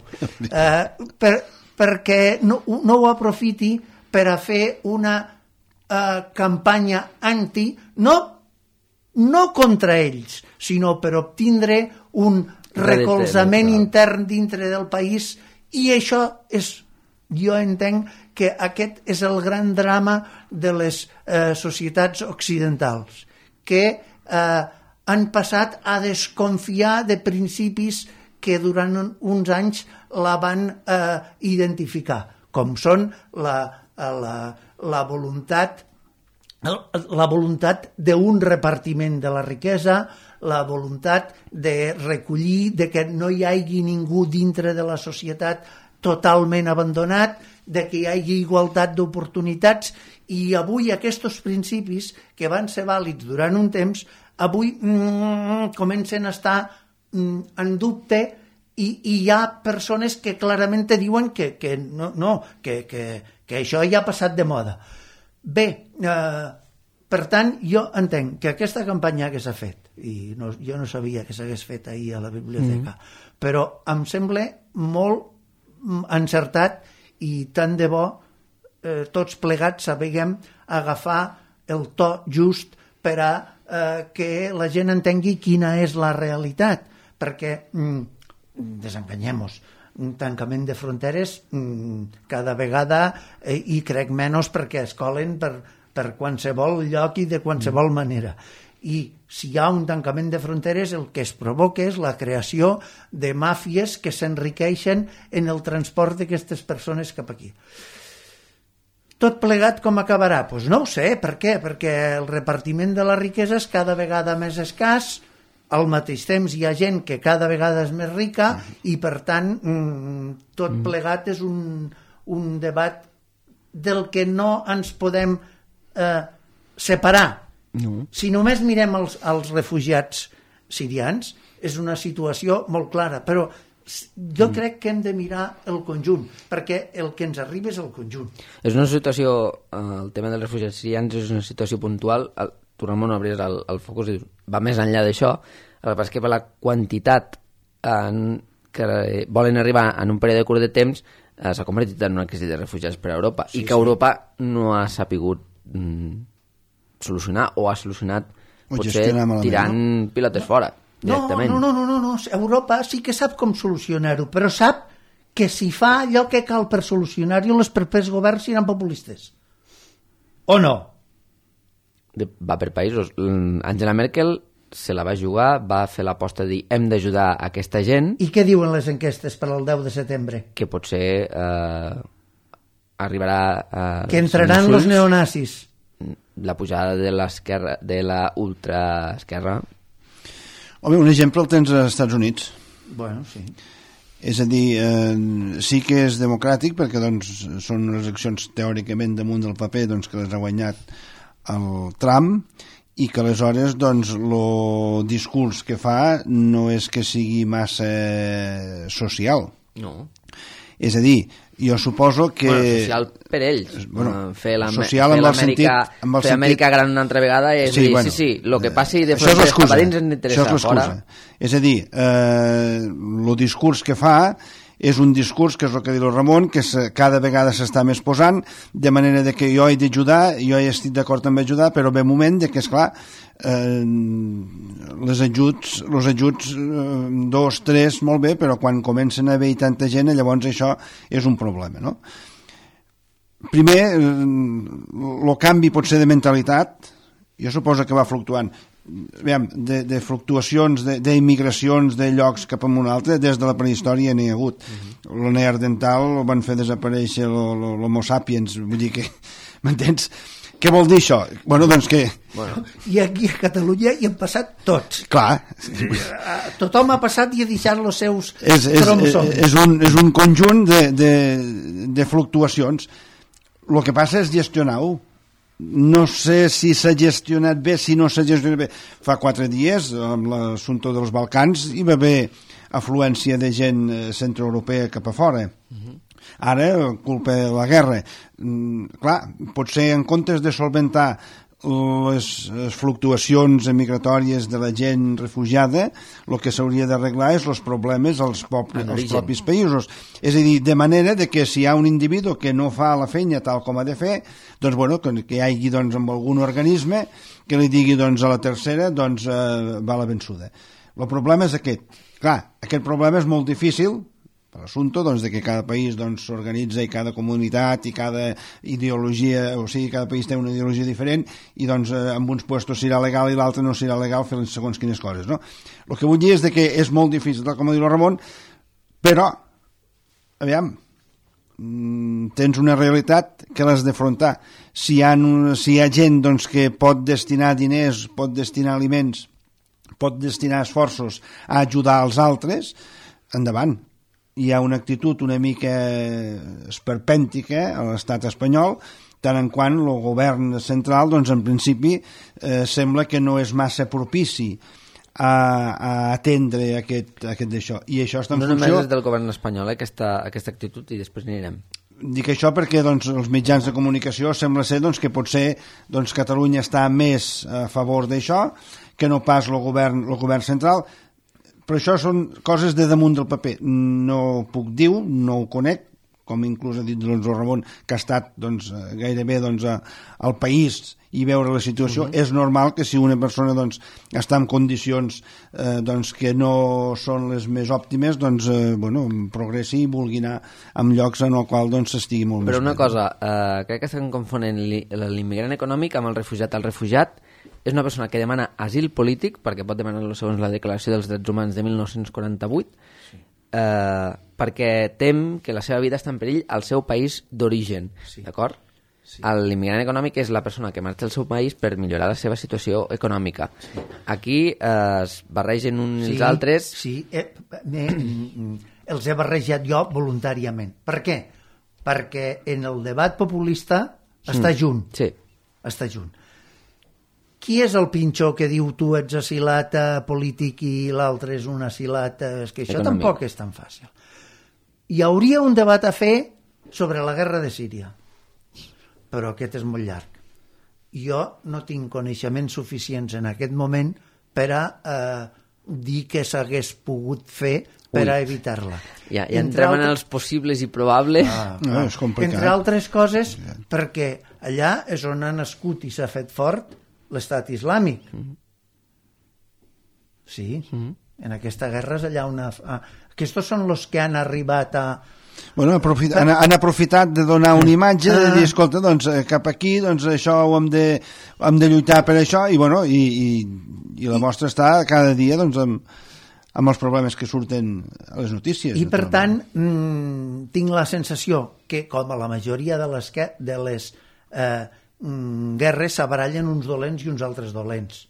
Perquè no ho aprofiti per a fer una campanya anti, no contra ells, sinó per obtindre un recolzament intern dintre del país, i això és, jo entenc que aquest és el gran drama de les societats occidentals, que han passat a desconfiar de principis que durant uns anys la van identificar, com són la voluntat d'un repartiment de la riquesa, la voluntat de recollir, de que no hi hagi ningú dintre de la societat totalment abandonat, de que hi hagi igualtat d'oportunitats, i avui aquests principis que van ser vàlids durant un temps, avui comencen a estar en dubte, i hi ha persones que clarament te diuen que això ja ha passat de moda. Bé, per tant, jo entenc que aquesta campanya que s'ha fet, i jo no sabia que s'hagués fet ahir a la biblioteca, però em sembla molt encertat, i tant de bo tots plegats sapiguem agafar el to just per a que la gent entengui quina és la realitat, perquè desenganyem-nos, un tancament de fronteres cada vegada hi crec menys, perquè es colen per qualsevol lloc i de qualsevol manera. I si hi ha un tancament de fronteres, el que es provoca és la creació de màfies que s'enriqueixen en el transport d'aquestes persones cap aquí. Tot plegat com acabarà? Doncs no ho sé. Per què? Perquè el repartiment de la riquesa és cada vegada més escàs, al mateix temps hi ha gent que cada vegada és més rica, i per tant tot plegat és un debat del que no ens podem separar. No. Si només mirem els refugiats sirians, és una situació molt clara, però jo crec que hem de mirar el conjunt, perquè el que ens arriba és el conjunt. És una situació, el tema dels refugiats sirians és una situació puntual, tornem a obrir el focus i va més enllà d'això. El que passa és que per la quantitat que volen arribar en un període curt de temps s'ha convertit en una crisi de refugiats per a Europa, i que Europa no ha sapigut solucionar, o ha solucionat potser tirant pilotes fora directament. No, Europa sí que sap com solucionar-ho, però sap que si fa allò que cal per solucionar-ho, els propers governs seran populistes. O no? Va per països. Angela Merkel se la va jugar, va fer l'aposta de dir hem d'ajudar aquesta gent. I què diuen les enquestes per al 10 de setembre? Que potser arribarà que entraran els neonazis. La pujada de l'esquerra, de la ultraesquerra. Home, un exemple el tens als Estats Units. Bueno, sí. És a dir, sí que és democràtic, perquè doncs, són unes eleccions teòricament damunt del paper doncs, que les ha guanyat el Trump, i que aleshores doncs, el discurs que fa no és que sigui massa social. No. És a dir, jo suposo que... social per ells. Fer Amèrica gran una altra vegada és dir, sí, el que passi de fronteres cap a dins ens interessa fora. És a dir, el discurs que fa és un discurs, que és el que diu el Ramon, que cada vegada s'està més posant, de manera de que jo he d'ajudar, jo he estat d'acord amb ajudar, però ve un moment de que, esclar, els ajuts 2, 3, molt bé, però quan comencen a haver tanta gent, llavors això és un problema, no? Primer, el canvi pot ser de mentalitat, jo suposo que va fluctuant, de fluctuacions, d'immigracions de llocs cap a un altre, des de la prehistòria n'hi ha hagut. El neandertal van fer desaparèixer l'homo sapiens, vull dir que, m'entens? Què vol dir això? Bueno, doncs que... Bueno, I aquí a Catalunya hi han passat tots. Clar, Tothom ha passat i ha deixat els seus és un conjunt de fluctuacions. El que passa és gestionar-ho. No sé si s'ha gestionat bé, si no s'ha gestionat bé. Fa 4 dies, amb l'assumpte dels Balcans, hi va haver afluència de gent centroeuropea cap a fora. Ara, culpa de la guerra. Clar, potser en comptes de solventar les fluctuacions migratòries de la gent refugiada, el que s'hauria d'arreglar és els problemes als propis països. És a dir, de manera de que si hi ha un individu que no fa la feina tal com ha de fer, doncs, bueno, que hi hagi doncs, amb algun organisme que li digui doncs, a la tercera doncs, va la vençuda. El problema és aquest. Clar, aquest problema és molt difícil per l'assumpte doncs, de que cada país doncs, s'organitza i cada comunitat i cada ideologia, o sigui, cada país té una ideologia diferent i doncs en uns puestos serà legal i l'altre no serà legal fer segons quines coses, no? El que vull dir és de que és molt difícil, tal com ha dit el Ramon, però, aviam, tens una realitat que l'has d'afrontar. Si hi ha gent doncs, que pot destinar diners, pot destinar aliments, pot destinar esforços a ajudar els altres, endavant. Hi ha una actitud una mica esperpèntica a l'estat espanyol, tant en quant el govern central, doncs en principi, sembla que no és massa propici a atendre aquest d'això. I això està en funció... No només és del govern espanyol, aquesta actitud, i després n'anirem. Dic això perquè doncs, els mitjans de comunicació sembla ser doncs, que potser doncs, Catalunya està més a favor d'això que no pas el govern central. Però això són coses de damunt del paper. No ho puc dir, no ho conec, com inclús ha dit doncs, el Ramon, que ha estat doncs, gairebé doncs, al país i veure la situació. És normal que si una persona doncs, està en condicions doncs, que no són les més òptimes, doncs, bueno, progressi i vulgui anar en llocs en el qual doncs, s'estigui molt Però més una cosa, crec que estan confonent l'immigrant econòmic amb el refugiat. El refugiat és una persona que demana asil polític, perquè pot demanar-lo segons la Declaració dels Drets Humans de 1948, perquè tem que la seva vida està en perill al seu país d'origen, d'acord? Sí. L'immigrant econòmic és la persona que marxa al seu país per millorar la seva situació econòmica. Aquí es barregen uns i els altres... Sí, els he barrejat jo voluntàriament. Per què? Perquè en el debat populista està junt. Sí. Està junt. Qui és el pinxó que diu tu ets asilat polític i l'altre és un asilat... És que això econòmic. Tampoc és tan fàcil. Hi hauria un debat a fer sobre la guerra de Síria, però aquest és molt llarg. Jo no tinc coneixements suficients en aquest moment per a dir que s'hagués pogut fer per a evitar-la. Ja entrem en els possibles i probables. No, és complicat. Entre altres coses, perquè allà és on ha nascut i s'ha fet fort l'estat islàmic. Sí, en aquesta guerra és allà una... Aquests són els que han arribat a... Bueno, han aprofitat de donar una imatge, de dir, escolta, doncs cap aquí, doncs això ho hem de lluitar per això, i bueno, i la mostra està cada dia doncs amb els problemes que surten a les notícies. I per tant, tinc la sensació que, com a la majoria de les guerres, s'abarallen uns dolents i uns altres dolents.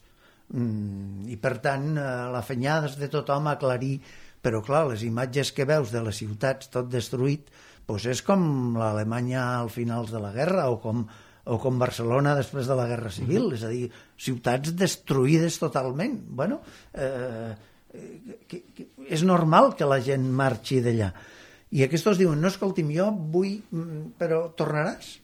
I per tant, la fenyada és de tothom aclarir. Però clar, les imatges que veus de les ciutats tot destruït, doncs és com l'Alemanya al finals de la guerra o com Barcelona després de la Guerra Civil, és a dir, ciutats destruïdes totalment. Bueno, és normal que la gent marxi d'allà. I aquests diuen, no, escolti'm, jo vull, però tornaràs?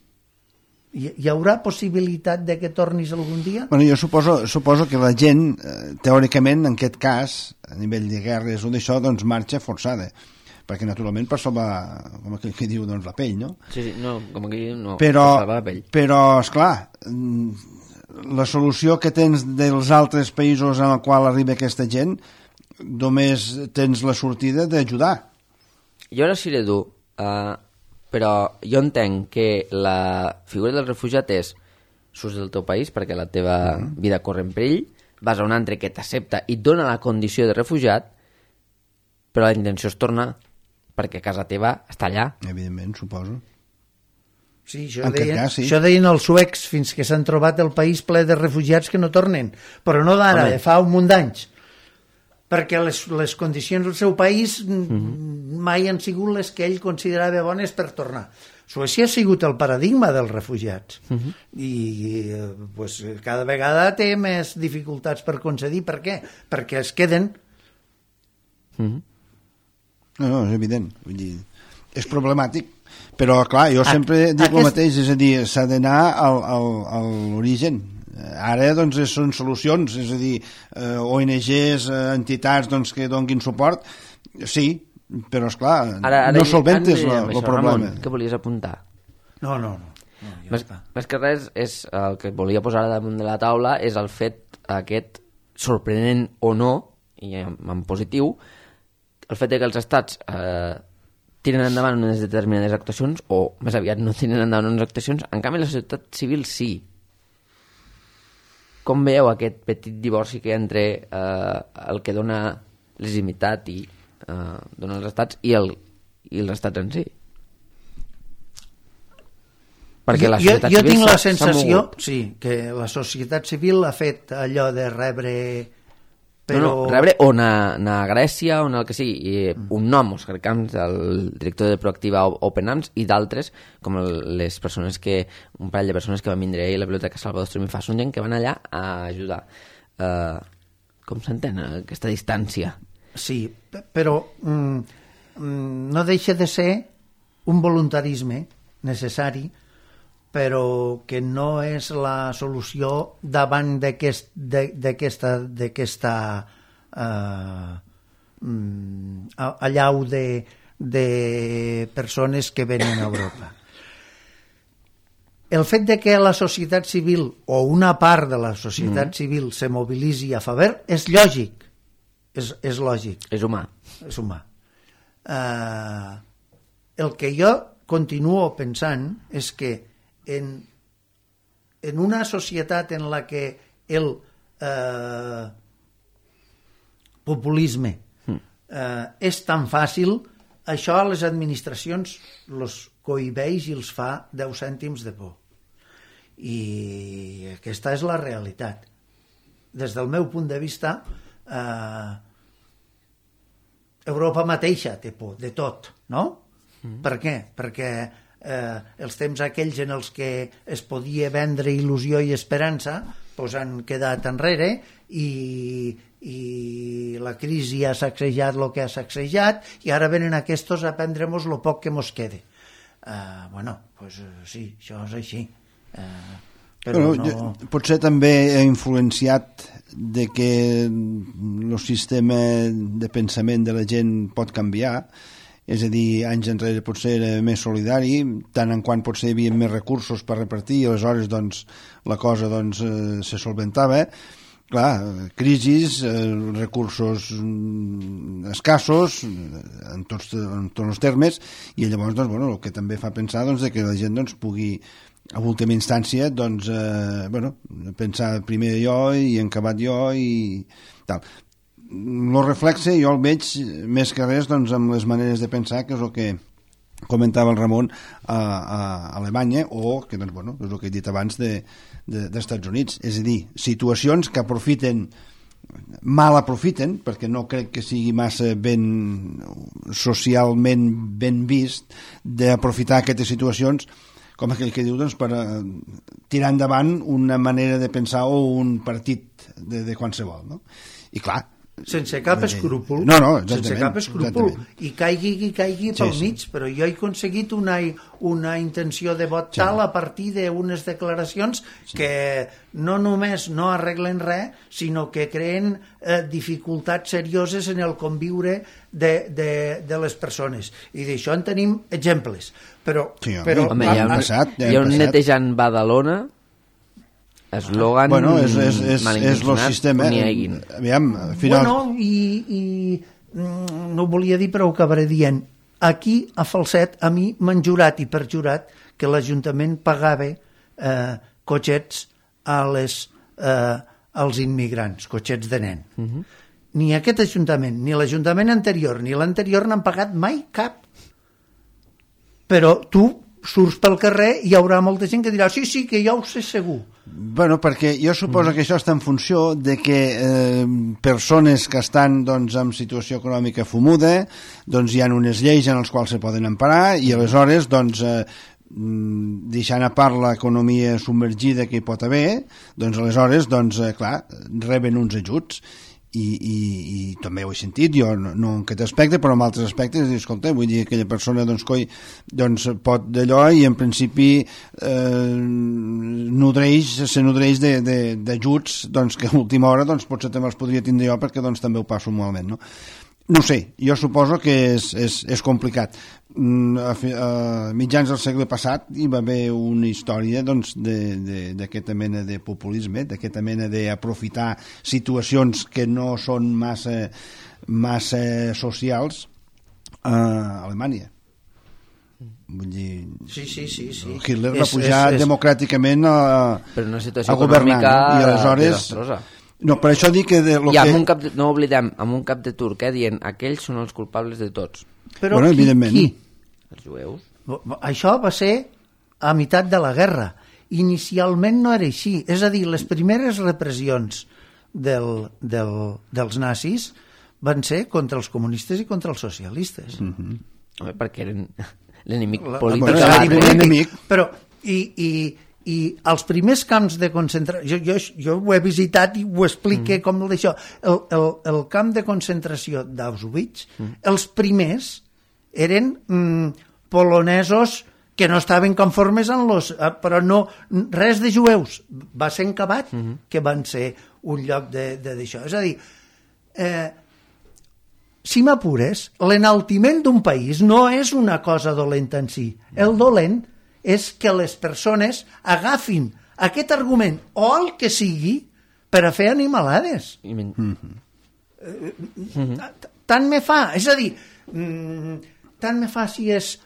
Hi haurà possibilitat de que tornis algun dia? Bueno, jo suposo que la gent, teòricament, en aquest cas, a nivell de guerres o d'això, doncs marxa forçada, perquè naturalment per salvar, com aquell que diu, doncs la pell, no? Sí, no, com aquell que diu, no, per salvar la pell. Però, esclar, la solució que tens dels altres països en el qual arriba aquesta gent, només tens la sortida d'ajudar. Jo ara seré dur, però jo entenc que la figura del refugiat és surts del teu país perquè la teva vida corre en perill, vas a un altre que t'accepta i et dona la condició de refugiat, però la intenció és tornar perquè casa teva està allà. Evidentment, suposo. Sí, això deien els suecs fins que s'han trobat el país ple de refugiats que no tornen, però no d'ara, de fa un munt d'anys, perquè les condicions del seu país mai han sigut les que ell considerava bones per tornar. Suècia ha sigut el paradigma dels refugiats i pues, cada vegada té més dificultats per concedir. Per què? Perquè es queden. No, és evident. Vull dir, és problemàtic, però clar, jo sempre dic el mateix, és a dir, s'ha d'anar a l'origen. Ara doncs són solucions, és a dir, ONGs, entitats doncs, que donguin suport, sí, però esclar, no solventes el problema. Ramon, què volies apuntar? No, més que res, és el que volia posar damunt de la taula és el fet aquest, sorprenent o no, i en positiu, el fet que els estats tiren endavant unes determinades actuacions o més aviat no tiren endavant unes actuacions, en canvi la societat civil sí. Com veieu aquest petit divorci que hi ha entre el que dona legitimitat i dona els estats i els estats en si? Perquè la societat jo tinc la sensació que la societat civil ha fet allò de rebre rebre o anar a Grècia o anar al que sigui, un nom, Òscar Camps, el director de Proactiva Open Arms, i d'altres, com les persones un parell de persones que van vindre ahir a la Biblioteca Salvador Estorm i Fa, són gent que van allà a ajudar. Com s'entén aquesta distància? Sí, però no deixa de ser un voluntarisme necessari, però que no és la solució davant d'aquesta allau de persones que venen a Europa. El fet de que la societat civil o una part de la societat civil se mobilitzi a favor és lògic. És lògic. És humà. És humà. El que jo continuo pensant és que en una societat en la que el populisme és tan fàcil, això a les administracions els cohibeix i els fa 10 cèntims de por. I aquesta és la realitat. Des del meu punt de vista, Europa mateixa té por de tot, no? Per què? Perquè els temps aquells en els que es podia vendre il·lusió i esperança doncs han quedat enrere i la crisi ha sacsejat el que ha sacsejat i ara venen aquests a prendre-nos el poc que mos quede. Sí, això és així. Però no... Potser també ha influenciat de que el sistema de pensament de la gent pot canviar. És a dir, anys enrere potser era més solidari, tant en quant potser hi havia més recursos per repartir i aleshores doncs, la cosa doncs, se solventava. Clar, crisis, recursos escassos en tots els termes i llavors doncs, el que també fa pensar doncs, que la gent doncs, pugui a última instància doncs, pensar primer jo i en acabat jo i tal. El reflexe jo el veig més que res doncs, amb les maneres de pensar, que és el que comentava el Ramon a Alemanya o que doncs, és el que he dit abans dels Estats Units, és a dir, situacions que mal aprofiten, perquè no crec que sigui massa socialment ben vist d'aprofitar aquestes situacions com aquell que diu doncs, per tirar endavant una manera de pensar o un partit de qualsevol, no? I clar, sense cap escrúpol, sense cap escrúpol, i caigui pel mig, però jo he aconseguit una intenció de vot tal a partir d'unes declaracions que no només no arreglen res, sinó que creen dificultats serioses en el conviure de les persones, i d'això en tenim exemples, però hi ha un netejant Badalona, eslògan és el sistema. Aviam, final... no ho volia dir però ho acabaré dient. Aquí a Falset a mi m'han jurat i perjurat que l'Ajuntament pagava cotxets als immigrants, cotxets de nen. Ni aquest Ajuntament, ni l'Ajuntament anterior ni l'anterior n'han pagat mai cap. Però tu surts pel carrer i hi haurà molta gent que dirà sí, que ja ho sé segur. Bueno, perquè jo suposo que això està en funció de que persones que estan doncs, en situació econòmica fumuda, doncs hi ha unes lleis en les quals se poden emparar i aleshores doncs, deixant a part l'economia submergida que hi pot haver, doncs aleshores doncs, clar, reben uns ajuts i també ho he sentit jo, no en aquest aspecte però en altres aspectes, escolta, vull dir aquella persona doncs, doncs pot d'allò i en principi se nodreix d'ajuts doncs, que a última hora doncs, potser també els podria tindre jo perquè doncs, també ho passo malament, no? No sé, jo suposo que és complicat. A mitjans del segle passat hi va haver una història doncs, d'aquesta mena de populisme, d'aquesta mena d'aprofitar situacions que no són massa socials a Alemanya. Vull dir, sí. Hitler va pujar democràticament a governar, i aleshores desastrosa. No, per això dic que... No oblidem, amb un cap de turc, dient aquells són els culpables de tots. Però bueno, evidentment. Qui? Els jueus. Això va ser a meitat de la guerra. Inicialment no era així. És a dir, les primeres repressions dels nazis van ser contra els comunistes i contra els socialistes. Home, perquè eren l'enemic polític. Però, i els primers camps de concentració, jo ho he visitat i ho explique com d'això, el camp de concentració d'Auschwitz, els primers eren polonesos que no estaven conformes amb però no, res de jueus, va ser en Cabat que van ser un lloc d'això, és a dir, si m'apures, l'enaltiment d'un país no és una cosa dolenta en si, el dolent és que les persones agafin aquest argument o el que sigui per a fer animalades. Tant me fa, és a dir, tant me fa si és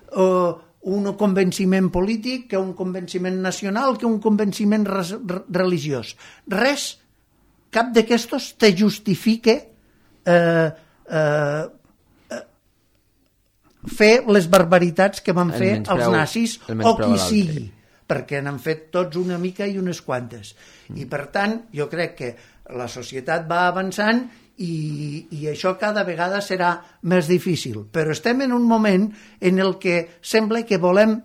un convenciment polític que un convenciment nacional que un convenciment religiós. Res, cap d'aquestos te justifique fer les barbaritats que van fer els nazis o qui sigui, perquè n'han fet tots una mica i unes quantes. I per tant, jo crec que la societat va avançant i això cada vegada serà més difícil. Però estem en un moment en el que sembla que volem,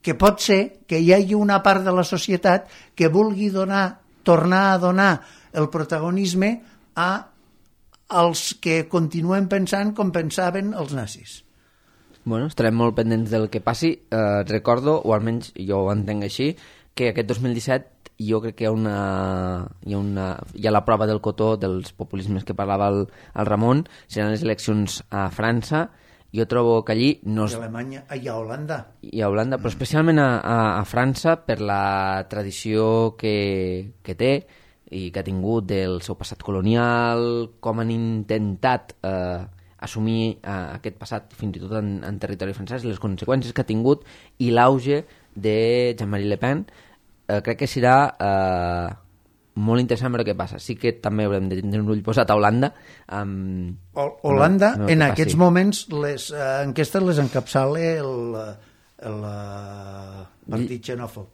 que pot ser que hi hagi una part de la societat que vulgui tornar a donar el protagonisme als que continuen pensant com pensaven els nazis. Bueno, estarem molt pendents del que passi. Recordo, o almenys jo ho entenc així, que aquest 2017 jo crec que hi ha la prova del cotó dels populismes que parlava el Ramon, seran les eleccions a França. Jo trobo que allí... I a Alemanya, i a Holanda. I a Holanda, però especialment a França, per la tradició que té i que ha tingut del seu passat colonial, com han intentat assumir aquest passat fins i tot en territori francès, les conseqüències que ha tingut i l'auge de Jean-Marie Le Pen. Crec que serà molt interessant veure què passa. Sí que també haurem de tenir un ull posat a Holanda. Holanda, en aquests moments, les enquestes les encapçala el partit xenòfob.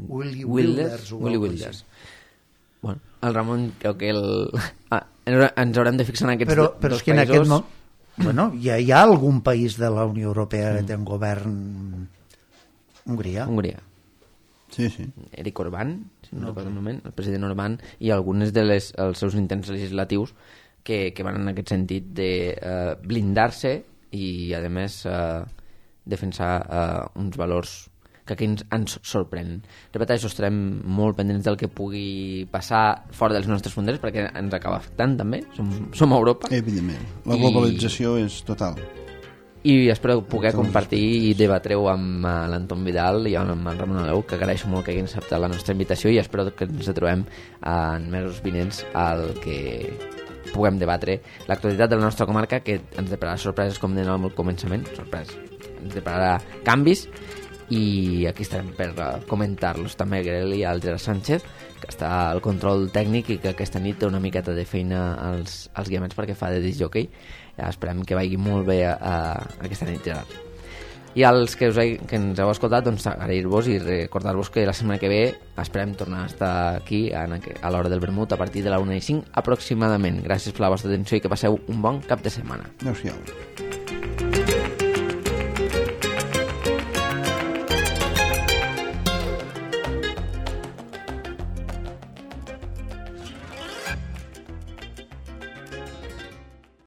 Willy Wilders. Bueno, el Ramon creu que ens haurem de fixar en aquests dos països. Però és que en aquest moment ja hi ha algun país de la Unió Europea que té un govern... Hongria. Sí. Eric Orbán, si no recordo el moment, el president Orbán, i algunes dels seus intents legislatius que van en aquest sentit de blindar-se i, a més, defensar uns valors que aquí ens sorprèn. Repeteixo, estarem molt pendents del que pugui passar fora dels nostres fronteres perquè ens acaba afectant també, som a Europa. Evidentment, la globalització és total. I espero poder compartir i debatre-ho amb l'Anton Vidal i amb el Ramon Aleu, que agraeixo molt que hagin acceptat la nostra invitació i espero que ens trobem en mesos vinents al que puguem debatre l'actualitat de la nostra comarca, que ens depararà sorpreses, com deien al començament, sorpreses, ens depararà canvis, i aquí estarem per comentar-los. També agrair-li al Gerard Sánchez, que està al control tècnic i que aquesta nit té una miqueta de feina als guiaments perquè fa de disc jockey. Esperem que vagi molt bé aquesta nit, Gerard. I als que ens heu escoltat, doncs agrair-vos i recordar-vos que la setmana que ve esperem tornar a estar aquí a l'hora del vermut a partir de la 1:05 aproximadament. Gràcies per la vostra atenció i que passeu un bon cap de setmana. Adéu-siau.